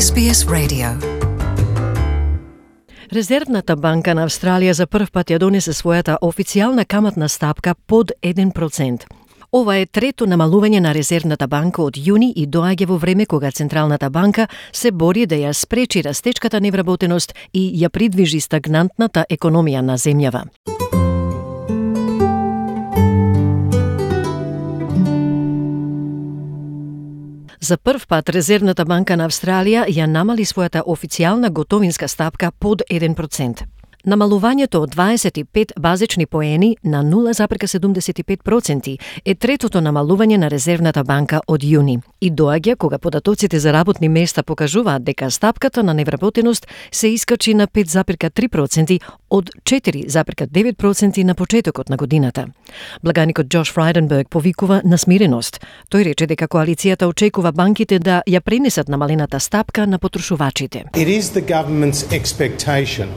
SBS Radio. Резервната банка на Австралија за прв пат ја донесе својата официјална каматна стапка под 1%. Ова е трето намалување на Резервната банка од јуни и доаѓа во време кога Централната банка се бори да ја спречи растечката невработеност и ја придвижи стагнантната економија на земјава. За прв пат Резервната банка на Австралија ја намали својата официјална готовинска стапка под 1%. Намалувањето од 25 базични поени на 0,75% е третото намалување на Резервната банка од јуни и доаѓа кога податоците за работни места покажуваат дека стапката на невработеност се искачи на 5,3% од 4,9% на почетокот на годината. Благаникот Джош Фрайденберг повикува на смиреност. Тој рече дека коалицијата очекува банките да ја пренесат намалената стапка на потрошувачите. It is the government's expectation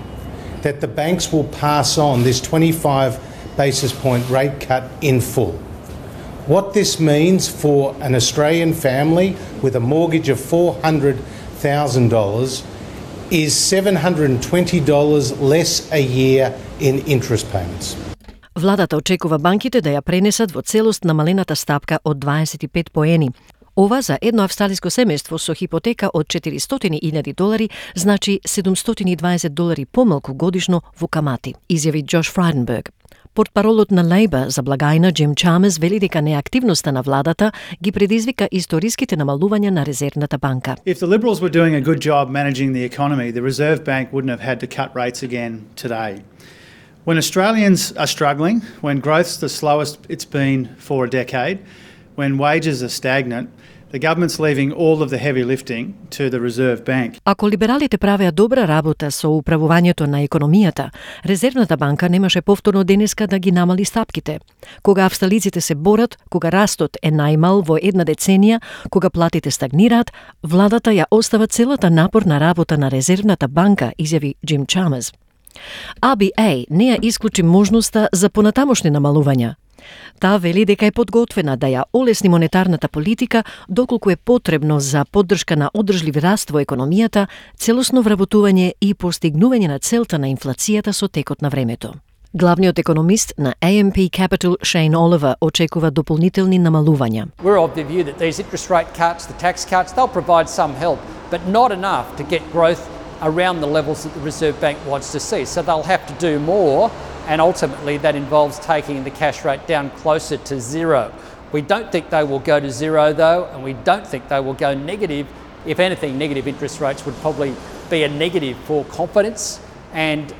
that the banks will pass on this 25 basis point rate cut in full. What this means for an Australian family with a mortgage of $400,000 is $720 less a year in interest payments. Владата очекува банките да ја пренесат во целост намалената стапка од 25 поени. Ова за едно австралиско семејство со хипотека од $400,000 значи $720 помалку годишно во камати, изјави Джош Фрайденберг. Портпаролот на Лейбор за благајна Джим Чамес вели дека неактивноста на владата ги предизвика историските намалувања на Резервната банка. If the Liberals were doing a good job managing the economy, the Reserve Bank wouldn't have had to cut rates again today. When Australians are struggling, when growth's the slowest it's been for a decade, when wages are stagnant, the government's leaving all of the heavy lifting to the Reserve Bank. Ако либералите правеа добра работа со управувањето на економијата, Резервната банка немаше повторно денеска да ги намали стапките. Кога австралиците се борат, кога растот е најмал во една деценија, кога платите стагнираат, владата ја остава целата напорна работа на Резервната банка, изјави Джим Чамес. ABA не ја исклучи можноста за понатамошни намалувања. Таа вели дека е подготвена да ја олесни монетарната политика доколку е потребно за поддршка на одржлив раст во економијата, целосно вработување и постигнување на целта на инфлацијата со текот на времето. Главниот економист на AMP Capital, Shane Oliver, очекува дополнителни намалувања. We're of the view that these interest rate cuts, the tax cuts, they'll provide some help, but not enough to get growth around the levels that the Reserve Bank wants to see. So they'll have to do more, and ultimately that involves taking the cash rate down closer to zero. We don't think they will go to zero though, and we don't think they will go negative. If anything, negative interest rates would probably be a negative for confidence, and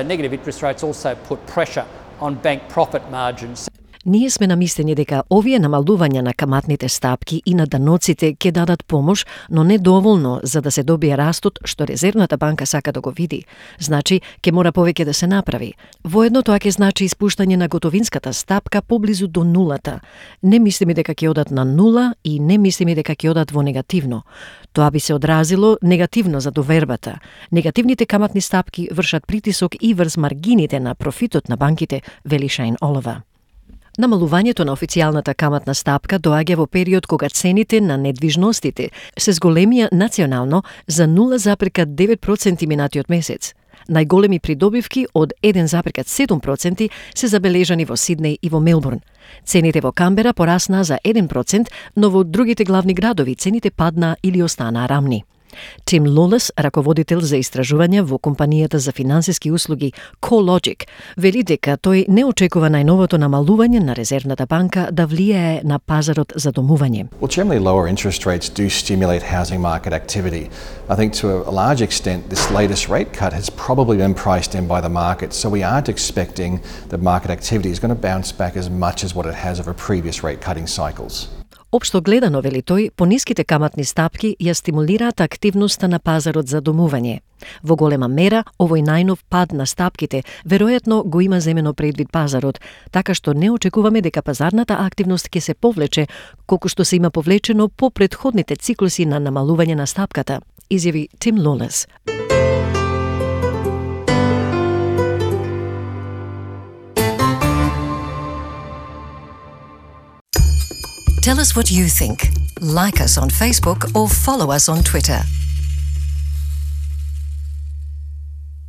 negative interest rates also put pressure on bank profit margins. Ние сме на мислење дека овие намалувања на каматните стапки и на даноците ќе дадат помош, но не доволно за да се добие растот што Резервната банка сака да го види. Значи, ќе мора повеќе да се направи. Воедно тоа ќе значи испуштање на готовинската стапка поблизу до нулата. Не мислиме дека ќе одат на нула и не мислиме дека ќе одат во негативно. Тоа би се одразило негативно за довербата. Негативните каматни стапки вршат притисок и врз маргините на профитот на банките, вели Шейн Олива. Намалувањето на официјалната каматна стапка доаѓа во период кога цените на недвижностите се зголемија национално за 0,9% минатиот месец. Најголеми придобивки од 1,7% се забележани во Сиднеј и во Мелбурн. Цените во Камбера пораснаа за 1%, но во другите главни градови цените паднаа или останаа рамни. Тим Лолес, раководител за истражувања во компанијата за финансиски услуги CoreLogic, вели дека тој не очекува најновото намалување на Резервната банка да влијае на пазарот за домување. Well, generally lower interest rates do stimulate housing market activity. I think to a large extent this latest rate cut has probably been priced in by the market, so we aren't expecting that market activity is going to bounce back as much as what it has over previous rate cutting cycles. Општо гледано, вели тој, пониските каматни стапки ја стимулираат активноста на пазарот за домување. Во голема мера, овој најнов пад на стапките веројатно го има земено предвид пазарот, така што не очекуваме дека пазарната активност ќе се повлече, колку што се има повлечено по претходните циклуси на намалување на стапката, изјави Тим Лолес. Tell us what you think. Like us on Facebook or follow us on Twitter.